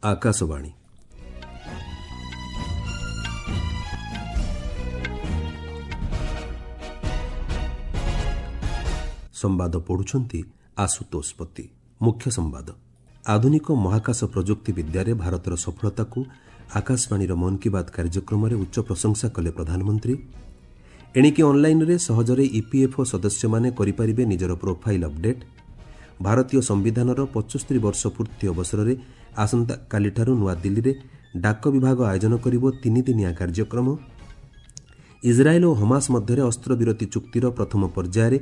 ଆକାଶବାଣୀ। ସମ୍ବାଦ ପଢ଼ୁଛନ୍ତି ଆଶୁତୋଷ ପତି। ମୁଖ୍ୟ ସମ୍ବାଦ। ଆଧୁନିକ ମହାକାଶ ପ୍ରଯୁକ୍ତି ବିଦ୍ୟାରେ ଭାରତର ସଫଳତାକୁ ଆକାଶବାଣୀର ମନ୍ କି ବାତ୍ କାର୍ଯ୍ୟକ୍ରମରେ ଉଚ୍ଚ ପ୍ରଶଂସା କଲେ ପ୍ରଧାନମନ୍ତ୍ରୀ। ଏଣିକି ଅନ୍ଲାଇନ୍ରେ ସହଜରେ ଇପିଏଫ୍ଓ ସଦସ୍ୟମାନେ କରିପାରିବେ ନିଜର ପ୍ରୋଫାଇଲ୍ ଅପଡେଟ୍। ଭାରତୀୟ ସମ୍ବିଧାନର 75 ବର୍ଷ ପୂର୍ତ୍ତି ଅବସରରେ ଆସନ୍ତାକାଲିଠାରୁ ନୂଆଦିଲ୍ଲୀରେ ଡାକ ବିଭାଗ ଆୟୋଜନ କରିବ ତିନିଦିନିଆ କାର୍ଯ୍ୟକ୍ରମ। ଇସ୍ରାଏଲ୍ ଓ ହମାସ ମଧ୍ୟରେ ଅସ୍ତ୍ରବିରତି ଚୁକ୍ତିର ପ୍ରଥମ ପର୍ଯ୍ୟାୟରେ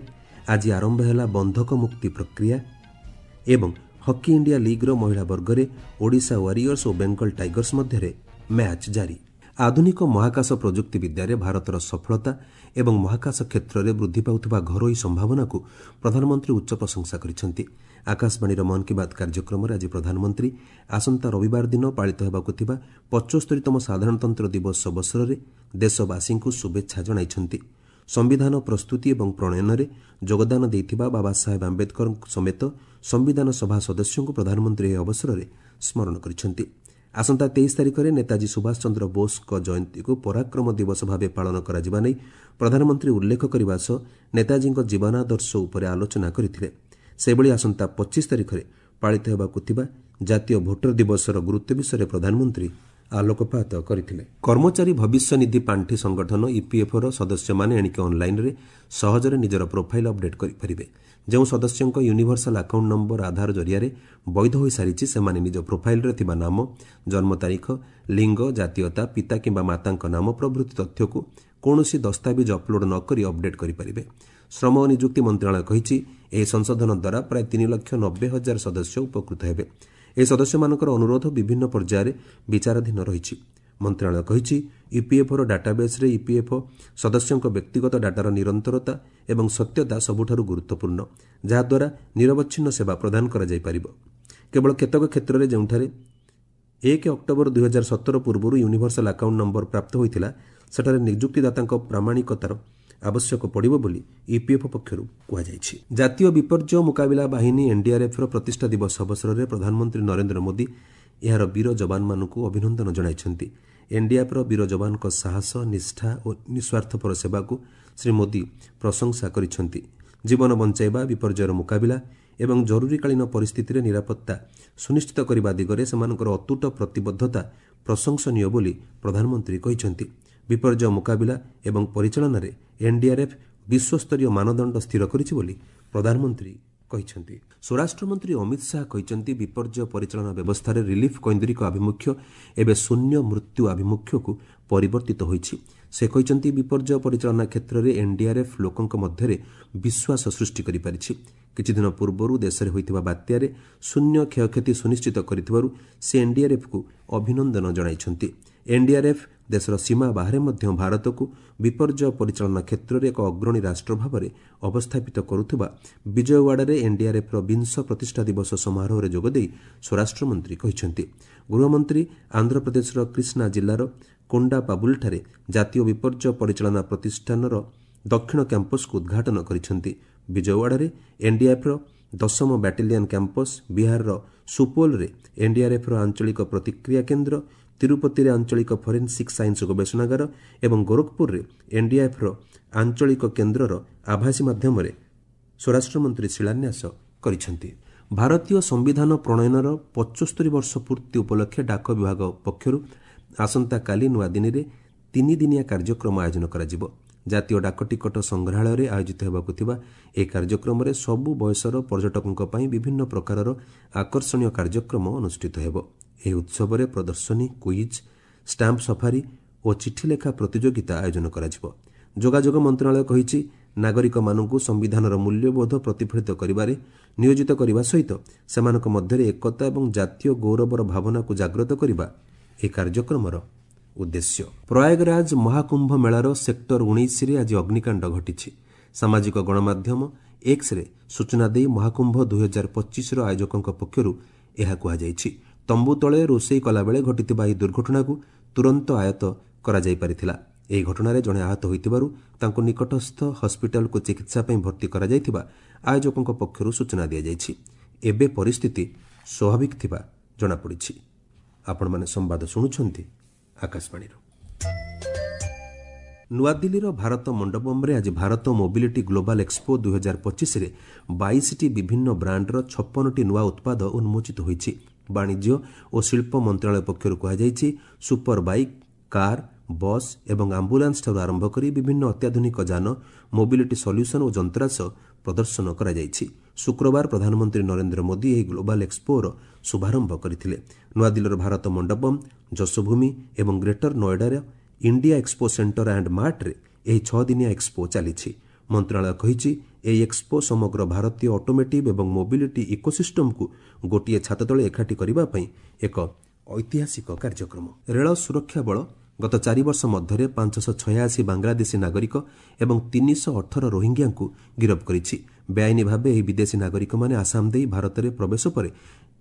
ଆଜି ଆରମ୍ଭ ହେଲା ବନ୍ଧକ ମୁକ୍ତି ପ୍ରକ୍ରିୟା। ଏବଂ ହକି ଇଣ୍ଡିଆ ଲିଗ୍ର ମହିଳା ବର୍ଗରେ ଓଡ଼ିଶା ୱାରିୟର୍ସ ଓ ବେଙ୍ଗଲ ଟାଇଗର୍ସ ମଧ୍ୟରେ ମ୍ୟାଚ୍ ଜାରି। ଆଧୁନିକ ମହାକାଶ ପ୍ରଯୁକ୍ତି ବିଦ୍ୟାରେ ଭାରତର ସଫଳତା ଏବଂ ମହାକାଶ କ୍ଷେତ୍ରରେ ବୃଦ୍ଧି ପାଉଥିବା ଘରୋଇ ସମ୍ଭାବନାକୁ ପ୍ରଧାନମନ୍ତ୍ରୀ ଉଚ୍ଚ ପ୍ରଶଂସା କରିଛନ୍ତି। ଆକାଶବାଣୀର ମନ୍ କି ବାତ୍ କାର୍ଯ୍ୟକ୍ରମରେ ଆଜି ପ୍ରଧାନମନ୍ତ୍ରୀ ଆସନ୍ତା ରବିବାର ଦିନ ପାଳିତ ହେବାକୁ ଥିବା 75ତମ ସାଧାରଣତନ୍ତ୍ର ଦିବସ ଅବସରରେ ଦେଶବାସୀଙ୍କୁ ଶୁଭେଚ୍ଛା ଜଣାଇଛନ୍ତି। ସମ୍ବିଧାନ ପ୍ରସ୍ତୁତି ଏବଂ ପ୍ରଣୟନରେ ଯୋଗଦାନ ଦେଇଥିବା ବାବା ସାହେବ ଆମ୍ବେଦକରଙ୍କ ସମେତ ସମ୍ବିଧାନ ସଭା ସଦସ୍ୟଙ୍କୁ ପ୍ରଧାନମନ୍ତ୍ରୀ ଏହି ଅବସରରେ ସ୍ମରଣ କରିଛନ୍ତି। ଆସନ୍ତା 23 ତାରିଖରେ ନେତାଜୀ ସୁଭାଷ ଚନ୍ଦ୍ର ବୋଷଙ୍କ ଜୟନ୍ତୀକୁ ପରାକ୍ରମ ଦିବସ ଭାବେ ପାଳନ କରାଯିବା ନେଇ ପ୍ରଧାନମନ୍ତ୍ରୀ ଉଲ୍ଲେଖ କରିବା ସହ ନେତାଜୀଙ୍କ ଜୀବନାଦର୍ଶ ଉପରେ ଆଲୋଚନା କରିଥିଲେ। ସେହିଭଳି ଆସନ୍ତା 25 ତାରିଖରେ ପାଳିତ ହେବାକୁ ଥିବା ଜାତୀୟ ଭୋଟର ଦିବସର ଗୁରୁତ୍ୱ ବିଷୟରେ ପ୍ରଧାନମନ୍ତ୍ରୀ ଆଲୋକପାତ କରିଥିଲେ। କର୍ମଚାରୀ ଭବିଷ୍ୟନିଧି ପାଣ୍ଠି ସଂଗଠନ ଇପିଏଫ୍ଓର ସଦସ୍ୟମାନେ ଏଣିକି ଅନ୍ଲାଇନ୍ରେ ସହଜରେ ନିଜର ପ୍ରୋଫାଇଲ୍ ଅପଡେଟ୍ କରିପାରିବେ। ଯେଉଁ ସଦସ୍ୟଙ୍କ ୟୁନିଭର୍ସାଲ ଆକାଉଣ୍ଟ ନମ୍ବର ଆଧାର ଜରିଆରେ ବୈଧ ହୋଇସାରିଛି, ସେମାନେ ନିଜ ପ୍ରୋଫାଇଲ୍ରେ ଥିବା ନାମ, ଜନ୍ମ ତାରିଖ, ଲିଙ୍ଗ, ଜାତୀୟତା, ପିତା କିମ୍ବା ମାତାଙ୍କ ନାମ ପ୍ରଭୃତି ତଥ୍ୟକୁ କୌଣସି ଦସ୍ତାବିଜ ଅପଲୋଡ୍ ନ କରି ଅପଡେଟ୍ କରିପାରିବେ। ଶ୍ରମ ଓ ନିଯୁକ୍ତି ମନ୍ତ୍ରଣାଳୟ କହିଛି, ଏହି ସଂଶୋଧନ ଦ୍ୱାରା ପ୍ରାୟ 3,90,000 ସଦସ୍ୟ ଉପକୃତ ହେବେ। ଏହି ସଦସ୍ୟମାନଙ୍କର ଅନୁରୋଧ ବିଭିନ୍ନ ପର୍ଯ୍ୟାୟରେ ବିଚାରାଧୀନ ରହିଛି। ମନ୍ତ୍ରଣାଳୟ କହିଛି, ଇପିଏଫ୍ଓର ଡାଟାବେସ୍ରେ ଇପିଏଫ୍ଓ ସଦସ୍ୟଙ୍କ ବ୍ୟକ୍ତିଗତ ଡାଟାର ନିରନ୍ତରତା ଏବଂ ସତ୍ୟତା ସବୁଠାରୁ ଗୁରୁତ୍ୱପୂର୍ଣ୍ଣ, ଯାହାଦ୍ୱାରା ନିରବଚ୍ଛିନ୍ନ ସେବା ପ୍ରଦାନ କରାଯାଇପାରିବ। କେବଳ କେତେକ କ୍ଷେତ୍ରରେ ଯେଉଁଠାରେ 1 ଅକ୍ଟୋବର 2017 ପୂର୍ବରୁ ୟୁନିଭର୍ସାଲ ଆକାଉଣ୍ଟ ନମ୍ବର ପ୍ରାପ୍ତ ହୋଇଥିଲା, ସେଠାରେ ନିଯୁକ୍ତିଦାତାଙ୍କ ପ୍ରାମାଣିକତାର ଆବଶ୍ୟକ ପଡ଼ିବ ବୋଲି ଇପିଏଫ୍ଓ ପକ୍ଷରୁ କୁହାଯାଇଛି। ଜାତୀୟ ବିପର୍ଯ୍ୟୟ ମୁକାବିଲା ବାହିନୀ ଏନ୍ଡିଆର୍ଏଫ୍ର ପ୍ରତିଷ୍ଠା ଦିବସ ଅବସରରେ ପ୍ରଧାନମନ୍ତ୍ରୀ ନରେନ୍ଦ୍ର ମୋଦି ଏହାର ବୀର ଯବାନମାନଙ୍କୁ ଅଭିନନ୍ଦନ ଜଣାଇଛନ୍ତି। ଏନ୍ଡିଆର୍ଏଫ୍ର ବୀର ଯବାନଙ୍କ ସାହସ, ନିଷ୍ଠା ଓ ନିଃସ୍ୱାର୍ଥପର ସେବାକୁ ଶ୍ରୀ ମୋଦି ପ୍ରଶଂସା କରିଛନ୍ତି। ଜୀବନ ବଞ୍ଚାଇବା, ବିପର୍ଯ୍ୟୟର ମୁକାବିଲା ଏବଂ ଜରୁରୀକାଳୀନ ପରିସ୍ଥିତିରେ ନିରାପତ୍ତା ସୁନିଶ୍ଚିତ କରିବା ଦିଗରେ ସେମାନଙ୍କର ଅତୁଟ ପ୍ରତିବଦ୍ଧତା ପ୍ରଶଂସନୀୟ ବୋଲି ପ୍ରଧାନମନ୍ତ୍ରୀ କହିଛନ୍ତି। ବିପର୍ଯ୍ୟୟ ମୁକାବିଲା ଏବଂ ପରିଚାଳନାରେ ଏନ୍ଡିଆର୍ଏଫ୍ ବିଶ୍ୱସ୍ତରୀୟ ମାନଦଣ୍ଡ ସ୍ଥିର କରିଛି ବୋଲି ପ୍ରଧାନମନ୍ତ୍ରୀ କହିଛନ୍ତି। ସ୍ୱରାଷ୍ଟ୍ରମନ୍ତ୍ରୀ ଅମିତ ଶାହା କହିଛନ୍ତି, ବିପର୍ଯ୍ୟୟ ପରିଚାଳନା ବ୍ୟବସ୍ଥାରେ ରିଲିଫ୍ କୈନ୍ଦ୍ରିକ ଆଭିମୁଖ୍ୟ ଏବେ ଶୂନ୍ୟ ମୃତ୍ୟୁ ଆଭିମୁଖ୍ୟକୁ ପରିବର୍ତ୍ତିତ ହୋଇଛି। ସେ କହିଛନ୍ତି, ବିପର୍ଯ୍ୟୟ ପରିଚାଳନା କ୍ଷେତ୍ରରେ ଏନ୍ଡିଆର୍ଏଫ୍ ଲୋକଙ୍କ ମଧ୍ୟରେ ବିଶ୍ୱାସ ସୃଷ୍ଟି କରିପାରିଛି। କିଛିଦିନ ପୂର୍ବରୁ ଦେଶରେ ହୋଇଥିବା ବାତ୍ୟାରେ ଶୂନ୍ୟ କ୍ଷୟକ୍ଷତି ସୁନିଶ୍ଚିତ କରିଥିବାରୁ ସେ ଏନ୍ଡିଆର୍ଏଫ୍କୁ ଅଭିନନ୍ଦନ ଜଣାଇଛନ୍ତି। ଏନ୍ଡିଆର୍ଏଫ୍ ଦେଶର ସୀମା ବାହାରେ ମଧ୍ୟ ଭାରତକୁ ବିପର୍ଯ୍ୟୟ ପରିଚାଳନା କ୍ଷେତ୍ରରେ ଏକ ଅଗ୍ରଣୀ ରାଷ୍ଟ୍ର ଭାବରେ ଅବସ୍ଥାପିତ କରୁଥିବା ବିଜୟୱାଡ଼ାରେ ଏନ୍ଡିଆର୍ଏଫ୍ର ବିଂଶ ପ୍ରତିଷ୍ଠା ଦିବସ ସମାରୋହରେ ଯୋଗଦେଇ ସ୍ୱରାଷ୍ଟ୍ରମନ୍ତ୍ରୀ କହିଛନ୍ତି। ଗୃହମନ୍ତ୍ରୀ ଆନ୍ଧ୍ରପ୍ରଦେଶର କ୍ରିଷ୍ଣା ଜିଲ୍ଲାର କୋଣ୍ଡାପାବୁଲଠାରେ ଜାତୀୟ ବିପର୍ଯ୍ୟୟ ପରିଚାଳନା ପ୍ରତିଷ୍ଠାନର ଦକ୍ଷିଣ କ୍ୟାମ୍ପସକୁ ଉଦ୍ଘାଟନ କରିଛନ୍ତି। ବିଜୟୱାଡ଼ାରେ ଏନ୍ଡିଆର୍ଏଫ୍ର 10ମ ବାଟାଲିୟନ କ୍ୟାମ୍ପସ, ବିହାରର ସୁପୋଲରେ ଏନ୍ଡିଆର୍ଏଫ୍ର ଆଞ୍ଚଳିକ ପ୍ରତିକ୍ରିୟା କେନ୍ଦ୍ର, ତିରୁପତିରେ ଆଞ୍ଚଳିକ ଫରେନ୍ସିକ୍ ସାଇନ୍ସ ଗବେଷଣାଗାର ଏବଂ ଗୋରଖପୁରରେ ଏନ୍ଡିଆର୍ଏଫ୍ର ଆଞ୍ଚଳିକ କେନ୍ଦ୍ରର ଆଭାସୀ ମାଧ୍ୟମରେ ସ୍ୱରାଷ୍ଟ୍ରମନ୍ତ୍ରୀ ଶିଳାନ୍ୟାସ କରିଛନ୍ତି। ଭାରତୀୟ ସମ୍ବିଧାନ ପ୍ରଣୟନର 75 ବର୍ଷ ପୂର୍ତ୍ତି ଉପଲକ୍ଷେ ଡାକ ବିଭାଗ ପକ୍ଷରୁ ଆସନ୍ତାକାଲି ନୂଆଦିଲ୍ଲୀରେ ତିନିଦିନିଆ କାର୍ଯ୍ୟକ୍ରମ ଆୟୋଜନ କରାଯିବ। ଜାତୀୟ ଡାକଟିକଟ ସଂଗ୍ରହାଳୟରେ ଆୟୋଜିତ ହେବାକୁ ଥିବା ଏହି କାର୍ଯ୍ୟକ୍ରମରେ ସବୁ ବୟସର ପର୍ଯ୍ୟଟକଙ୍କ ପାଇଁ ବିଭିନ୍ନ ପ୍ରକାରର ଆକର୍ଷଣୀୟ କାର୍ଯ୍ୟକ୍ରମ ଅନୁଷ୍ଠିତ ହେବ। ଏହି ଉତ୍ସବରେ ପ୍ରଦର୍ଶନୀ, କୁଇଜ୍, ଷ୍ଟାମ୍ପ ସଫାରି ଓ ଚିଠିଲେଖା ପ୍ରତିଯୋଗିତା ଆୟୋଜନ କରାଯିବ। ଯୋଗାଯୋଗ ମନ୍ତ୍ରଣାଳୟ କହିଛି, ନାଗରିକମାନଙ୍କୁ ସମ୍ବିଧାନର ମୂଲ୍ୟବୋଧ ପ୍ରତିଫଳିତ କରିବାରେ ନିୟୋଜିତ କରିବା ସହିତ ସେମାନଙ୍କ ମଧ୍ୟରେ ଏକତା ଏବଂ ଜାତୀୟ ଗୌରବର ଭାବନାକୁ ଜାଗ୍ରତ କରିବା ଏହି କାର୍ଯ୍ୟକ୍ରମର ଉଦ୍ଦେଶ୍ୟ। ପ୍ରୟାଗରାଜ ମହାକୁମ୍ଭ ମେଳାର ସେକ୍ଟର 19ରେ ଆଜି ଅଗ୍ନିକାଣ୍ଡ ଘଟିଛି। ସାମାଜିକ ଗଣମାଧ୍ୟମ ଏକ୍ସରେ ସୂଚନା ଦେଇ ମହାକୁମ୍ଭ 2025ର ଆୟୋଜକଙ୍କ ପକ୍ଷରୁ ଏହା କୁହାଯାଇଛି। ତମ୍ବୁ ତଳେ ରୋଷେଇ କଲାବେଳେ ଘଟିଥିବା ଏହି ଦୁର୍ଘଟଣାକୁ ତୁରନ୍ତ ଆୟତ୍ତ କରାଯାଇପାରିଥିଲା। ଏହି ଘଟଣାରେ ଜଣେ ଆହତ ହୋଇଥିବାରୁ ତାଙ୍କୁ ନିକଟସ୍ଥ ହସ୍ପିଟାଲକୁ ଚିକିତ୍ସା ପାଇଁ ଭର୍ତ୍ତି କରାଯାଇଥିବା ଆୟୋଜକଙ୍କ ପକ୍ଷରୁ ସୂଚନା ଦିଆଯାଇଛି। ଏବେ ପରିସ୍ଥିତି ସ୍ୱାଭାବିକ ଥିବା ଜଣାପଡ଼ିଛି। ଆପଣମାନେ ସମ୍ବାଦ ଶୁଣୁଛନ୍ତି ଆକାଶବାଣୀରୁ। ନୂଆଦିଲ୍ଲୀର ଭାରତ ମଣ୍ଡପମ୍ରେ ଆଜି ଭାରତ ମୋବିଲିଟି ଗ୍ଲୋବାଲ୍ ଏକ୍ସପୋ 2025ରେ 22ଟି ବିଭିନ୍ନ ବ୍ରାଣ୍ଡର 56ଟି ନୂଆ ଉତ୍ପାଦ ଉନ୍ମୋଚିତ ହୋଇଛି। ବାଣିଜ୍ୟ ଓ ଶିଳ୍ପ ମନ୍ତ୍ରଣାଳୟ ପକ୍ଷରୁ କୁହାଯାଇଛି, ସୁପର ବାଇକ୍, କାର୍, ବସ୍ ଏବଂ ଆମ୍ବୁଲାନ୍ସଠାରୁ ଆରମ୍ଭ କରି ବିଭିନ୍ନ ଅତ୍ୟାଧୁନିକ ଯାନ, ମୋବିଲିଟି ସଲ୍ୟୁସନ୍ ଓ ଯନ୍ତ୍ରାଂଶ ପ୍ରଦର୍ଶନ କରାଯାଇଛି। ଶୁକ୍ରବାର ପ୍ରଧାନମନ୍ତ୍ରୀ ନରେନ୍ଦ୍ର ମୋଦି ଏହି ଗ୍ଲୋବାଲ୍ ଏକ୍ସପୋର ଶୁଭାରମ୍ଭ କରିଥିଲେ। ନୂଆଦିଲ୍ଲୀର ଭାରତ ମଣ୍ଡପମ୍, ଯଶୋଭୂମି ଏବଂ ଗ୍ରେଟର ନୋଏଡାର ଇଣ୍ଡିଆ ଏକ୍ସପୋ ସେଣ୍ଟର ଆଣ୍ଡ ମାର୍ଟରେ ଏହି 6 ଦିନିଆ ଏକ୍ସପୋ ଚାଲିଛି। ମନ୍ତ୍ରଣାଳୟ କହିଛି, ଏହି ଏକ୍ସପୋ ସମଗ୍ର ଭାରତୀୟ ଅଟୋମୋଟିଭ୍ ଏବଂ ମୋବିଲିଟି ଇକୋସିଷ୍ଟମକୁ ଗୋଟିଏ ଛାତ ତଳେ ଏକାଠି କରିବା ପାଇଁ ଏକ ଐତିହାସିକ କାର୍ଯ୍ୟକ୍ରମ। ରେଳ ସୁରକ୍ଷା ବଳ ଗତ 4 ବର୍ଷ ମଧ୍ୟରେ 586 ବାଂଲାଦେଶୀ ନାଗରିକ ଏବଂ 318 ରୋହିଙ୍ଗ୍ୟାଙ୍କୁ ଗିରଫ କରିଛି। ବେଆଇନ ଭାବେ ଏହି ବିଦେଶୀ ନାଗରିକମାନେ ଆସାମ ଦେଇ ଭାରତରେ ପ୍ରବେଶ ପରେ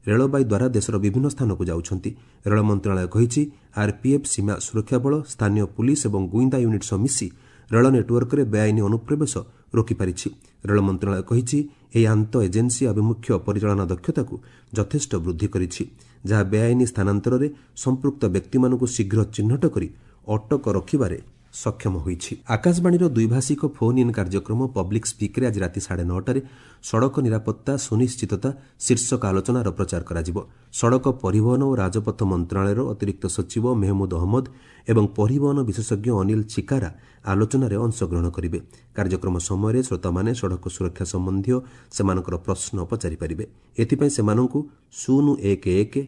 ରେଳବାଇ ଦ୍ୱାରା ଦେଶର ବିଭିନ୍ନ ସ୍ଥାନକୁ ଯାଉଛନ୍ତି। ରେଳ ମନ୍ତ୍ରଣାଳୟ କହିଛି, ଆର୍ପିଏଫ୍, ସୀମା ସୁରକ୍ଷା ବଳ, ସ୍ଥାନୀୟ ପୁଲିସ୍ ଏବଂ ଗୁଇନ୍ଦା ୟୁନିଟ୍ ସହ ମିଶି ରେଳ ନେଟୱାର୍କରେ ବେଆଇନ ଅନୁପ୍ରବେଶ ରୋକିପାରିଛି। ରେଳ ମନ୍ତ୍ରଣାଳୟ କହିଛି, ଏହି ଆନ୍ତଃ ଏଜେନ୍ସି ଆଭିମୁଖ୍ୟ ପରିଚାଳନା ଦକ୍ଷତାକୁ ଯଥେଷ୍ଟ ବୃଦ୍ଧି କରିଛି, ଯାହା ବେଆଇନ ସ୍ଥାନାନ୍ତରରେ ସମ୍ପୃକ୍ତ ବ୍ୟକ୍ତିମାନଙ୍କୁ ଶୀଘ୍ର ଚିହ୍ନଟ କରି ଅଟକ ରଖିବାରେ ସକ୍ଷମ ହୋଇଛି। ଆକାଶବାଣୀର ଦ୍ୱିଭାଷିକ ଫୋନ୍ ଇନ୍ କାର୍ଯ୍ୟକ୍ରମ ପବ୍ଲିକ୍ ସ୍ପିକ୍ରେ ଆଜି ରାତି 9:30ରେ ସଡ଼କ ନିରାପତ୍ତା ସୁନିଶ୍ଚିତତା ଶୀର୍ଷକ ଆଲୋଚନାର ପ୍ରଚାର କରାଯିବ। ସଡ଼କ ପରିବହନ ଓ ରାଜପଥ ମନ୍ତ୍ରଣାଳୟର ଅତିରିକ୍ତ ସଚିବ ମେହମୁଦ ଅହମ୍ମଦ ଏବଂ ପରିବହନ ବିଶେଷଜ୍ଞ ଅନିଲ ଚିକାରା ଆଲୋଚନାରେ ଅଂଶଗ୍ରହଣ କରିବେ। କାର୍ଯ୍ୟକ୍ରମ ସମୟରେ ଶ୍ରୋତାମାନେ ସଡ଼କ ସୁରକ୍ଷା ସମ୍ବନ୍ଧୀୟ ସେମାନଙ୍କର ପ୍ରଶ୍ନ ପଚାରିପାରିବେ। ଏଥିପାଇଁ ସେମାନଙ୍କୁ 011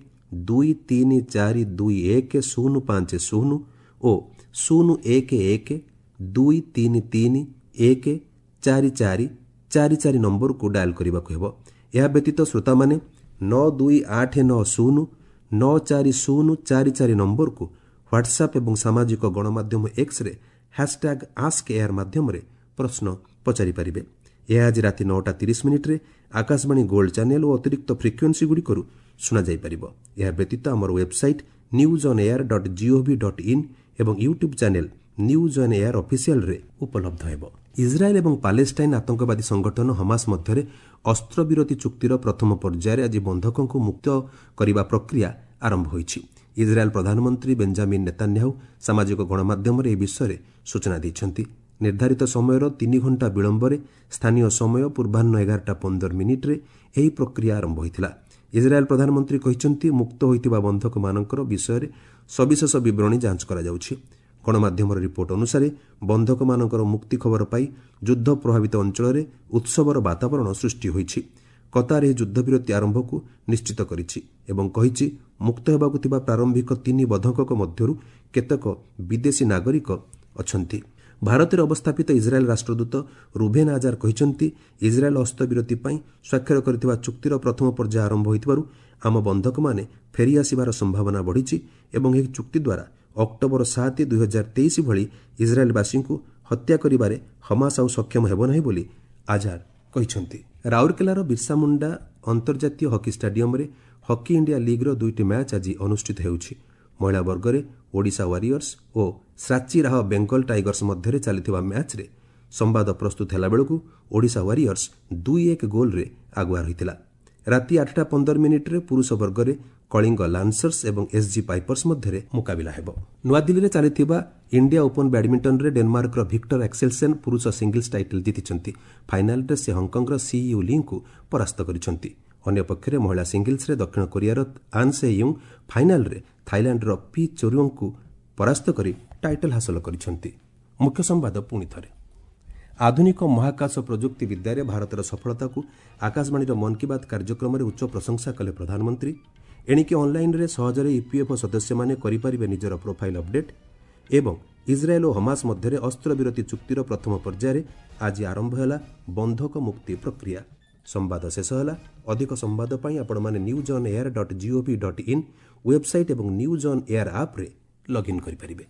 2342 1050 ଓ 011 2331 4444 ନମ୍ବରକୁ ଡାଏଲ୍ କରିବାକୁ ହେବ। ଏହା ବ୍ୟତୀତ ଶ୍ରୋତାମାନେ 92890 94044 ନମ୍ବରକୁ ହ୍ୱାଟ୍ସଆପ୍ ଏବଂ ସାମାଜିକ ଗଣମାଧ୍ୟମ ଏକ୍ସରେ ହ୍ୟାସ୍ଟ୍ୟାଗ୍ ଆସ୍କ ଏୟାର ମାଧ୍ୟମରେ ପ୍ରଶ୍ନ ପଚାରିପାରିବେ। ଏହା ଆଜି ରାତି 9ଟା 30 ମିନିଟ୍ରେ ଆକାଶବାଣୀ ଗୋଲ୍ଡ ଚ୍ୟାନେଲ୍ ଓ ଅତିରିକ୍ତ ଫ୍ରିକ୍ୱେନ୍ସିଗୁଡ଼ିକରୁ ଶୁଣାଯାଇପାରିବ। ଏହା ବ୍ୟତୀତ ଆମର website newsonair.gov.in ଏବଂ YouTube channel news on air ଅଫିସିଆଲ୍ରେ ଉପଲବ୍ଧ ହେବ। ଇସ୍ରାଏଲ୍ ଏବଂ ପାଲେଷ୍ଟାଇନ୍ ଆତଙ୍କବାଦୀ ସଂଗଠନ ହମାସ ମଧ୍ୟରେ ଅସ୍ତ୍ରବିରତି ଚୁକ୍ତିର ପ୍ରଥମ ପର୍ଯ୍ୟାୟରେ ଆଜି ବନ୍ଧକଙ୍କୁ ମୁକ୍ତ କରିବା ପ୍ରକ୍ରିୟା ଆରମ୍ଭ ହୋଇଛି। ଇସ୍ରାଏଲ୍ ପ୍ରଧାନମନ୍ତ୍ରୀ ବେଞ୍ଜାମିନ୍ ନେତାନ୍ୟାହୁ ସାମାଜିକ ଗଣମାଧ୍ୟମରେ ଏହି ବିଷୟରେ ସୂଚନା ଦେଇଛନ୍ତି। ନିର୍ଦ୍ଧାରିତ ସମୟର 3 ଘଣ୍ଟା ବିଳମ୍ବରେ ସ୍ଥାନୀୟ ସମୟ ପୂର୍ବାହ୍ନ 11ଟା 15 ମିନିଟ୍ରେ ଏହି ପ୍ରକ୍ରିୟା ଆରମ୍ଭ ହୋଇଥିଲା। ଇସ୍ରାଏଲ୍ ପ୍ରଧାନମନ୍ତ୍ରୀ କହିଛନ୍ତି, ମୁକ୍ତ ହୋଇଥିବା ବନ୍ଧକମାନଙ୍କର ବିଷୟରେ ସବିଶେଷ ବିବରଣୀ ଯାଞ୍ଚ କରାଯାଉଛି। ଗଣମାଧ୍ୟମର ରିପୋର୍ଟ ଅନୁସାରେ, ବନ୍ଧକମାନଙ୍କର ମୁକ୍ତି ଖବର ପାଇ ଯୁଦ୍ଧ ପ୍ରଭାବିତ ଅଞ୍ଚଳରେ ଉତ୍ସବର ବାତାବରଣ ସୃଷ୍ଟି ହୋଇଛି। କତାର ଏହି ଯୁଦ୍ଧବିରତି ଆରମ୍ଭକୁ ନିଶ୍ଚିତ କରିଛି ଏବଂ କହିଛି, ମୁକ୍ତ ହେବାକୁ ଥିବା ପ୍ରାରମ୍ଭିକ ତିନି ବନ୍ଧକଙ୍କ ମଧ୍ୟରୁ କେତେକ ବିଦେଶୀ ନାଗରିକ ଅଛନ୍ତି। ଭାରତରେ ଅବସ୍ଥାପିତ ଇସ୍ରାଏଲ୍ ରାଷ୍ଟ୍ରଦୂତ ରୁଭେନ୍ ଆଜାର କହିଛନ୍ତି, ଇସ୍ରାଏଲ୍ ଅସ୍ତ୍ରବିରତି ପାଇଁ ସ୍ୱାକ୍ଷର କରିଥିବା ଚୁକ୍ତିର ପ୍ରଥମ ପର୍ଯ୍ୟାୟ ଆରମ୍ଭ ହୋଇଥିବାରୁ ଆମ ବନ୍ଧକମାନେ ଫେରିଆସିବାର ସମ୍ଭାବନା ବଢ଼ିଛି ଏବଂ ଏହି ଚୁକ୍ତି ଦ୍ୱାରା ଅକ୍ଟୋବର 7, 2023 ଭଳି ଇସ୍ରାଏଲ୍ବାସୀଙ୍କୁ ହତ୍ୟା କରିବାରେ ହମାସ ଆଉ ସକ୍ଷମ ହେବ ନାହିଁ ବୋଲି ଆଜାର କହିଛନ୍ତି। ରାଉରକେଲାର ବିର୍ସା ମୁଣ୍ଡା ଅନ୍ତର୍ଜାତୀୟ ହକି ଷ୍ଟାଡିୟମରେ ହକି ଇଣ୍ଡିଆ ଲିଗ୍ର ଦୁଇଟି ମ୍ୟାଚ୍ ଆଜି ଅନୁଷ୍ଠିତ ହେଉଛି। ମହିଳା ବର୍ଗରେ ଓଡ଼ିଶା ୱାରିୟର୍ସ ଓ ଶ୍ରାଚୀ ରାହ ବେଙ୍ଗଲ ଟାଇଗର୍ସ ମଧ୍ୟରେ ଚାଲିଥିବା ମ୍ୟାଚ୍ରେ ସମ୍ବାଦ ପ୍ରସ୍ତୁତ ହେଲାବେଳକୁ ଓଡ଼ିଶା ୱାରିୟର୍ସ 2-1 ଗୋଲ୍ରେ ଆଗୁଆ ରହିଥିଲା। ରାତି 8ଟା 15 ମିନିଟ୍ରେ ପୁରୁଷ ବର୍ଗରେ କଳିଙ୍ଗ ଲାନ୍ସର୍ସ ଏବଂ ଏସ୍ଜି ପାଇପର୍ସ ମଧ୍ୟରେ ମୁକାବିଲା ହେବ। ନୂଆଦିଲ୍ଲୀରେ ଚାଲିଥିବା ଇଣ୍ଡିଆ ଓପନ୍ ବ୍ୟାଡମିଣ୍ଟନରେ ଡେନମାର୍କର ଭିକ୍ଟର ଆକ୍ସେଲସେନ୍ ପୁରୁଷ ସିଙ୍ଗଲ୍ସ ଟାଇଟଲ୍ ଜିତିଛନ୍ତି। ଫାଇନାଲରେ ସେ ହଂକଂର ସି you ଲିଙ୍କୁ ପରାସ୍ତ କରିଛନ୍ତି। ଅନ୍ୟପକ୍ଷରେ ମହିଳା ସିଙ୍ଗଲ୍ସରେ ଦକ୍ଷିଣ କୋରିଆର ଆନ୍ ସେ ୟୁଙ୍ଗ ଫାଇନାଲରେ ଥାଇଲାଣ୍ଡର ପି ଚୋରୁଅଙ୍କୁ ପରାସ୍ତ କରି ଟାଇଟଲ୍ ହାସଲ କରିଛନ୍ତି। ମୁଖ୍ୟ ସମ୍ବାଦ ପୁଣି ଥରେ। ଆଧୁନିକ ମହାକାଶ ପ୍ରଯୁକ୍ତି ବିଦ୍ୟାରେ ଭାରତର ସଫଳତାକୁ ଆକାଶବାଣୀର ମନ୍ କି ବାତ୍ କାର୍ଯ୍ୟକ୍ରମରେ ଉଚ୍ଚ ପ୍ରଶଂସା କଲେ ପ୍ରଧାନମନ୍ତ୍ରୀ। ଏଣିକି ଅନ୍ଲାଇନ୍ରେ ସହଜରେ ଇପିଏଫ୍ଓ ସଦସ୍ୟମାନେ କରିପାରିବେ ନିଜର ପ୍ରୋଫାଇଲ୍ ଅପଡେଟ୍। ଏବଂ ଇସ୍ରାଏଲ୍ ଓ ହମାସ ମଧ୍ୟରେ ଅସ୍ତ୍ରବିରତି ଚୁକ୍ତିର ପ୍ରଥମ ପର୍ଯ୍ୟାୟରେ ଆଜି ଆରମ୍ଭ ହେଲା ବନ୍ଧକ ମୁକ୍ତି ପ୍ରକ୍ରିୟା। ସମ୍ବାଦ ଶେଷ ହେଲା। ଅଧିକ ସମ୍ବାଦ ପାଇଁ ଆପଣମାନେ newsonair.gov.in website ଏବଂ ନ୍ୟୁଜ୍ ଅନ୍ ଏୟାର ଆପ୍ରେ ଲଗ୍ଇନ୍ କରିପାରିବେ।